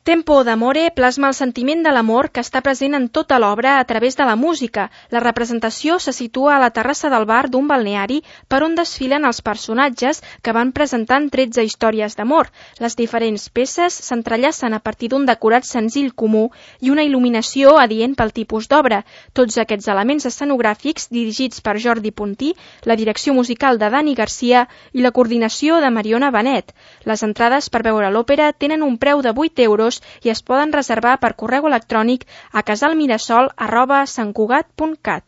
Tempo d'amore plasma el sentiment de l'amor que està present en tota l'obra a través de la música. La representació se situa a la terrassa del bar d'un balneari per on desfilen els personatges que van presentant 13 històries d'amor. Les diferents peces s'entrellacen a partir d'un decorat senzill comú i una il·luminació adient pel tipus d'obra. Tots aquests elements escenogràfics dirigits per Jordi Puntí, la direcció musical de Dani Garcia i la coordinació de Mariona Benet. Les entrades per veure l'òpera tenen un preu de 8 euros i es poden reservar per correu electrònic a casalmirasol@santcugat.cat.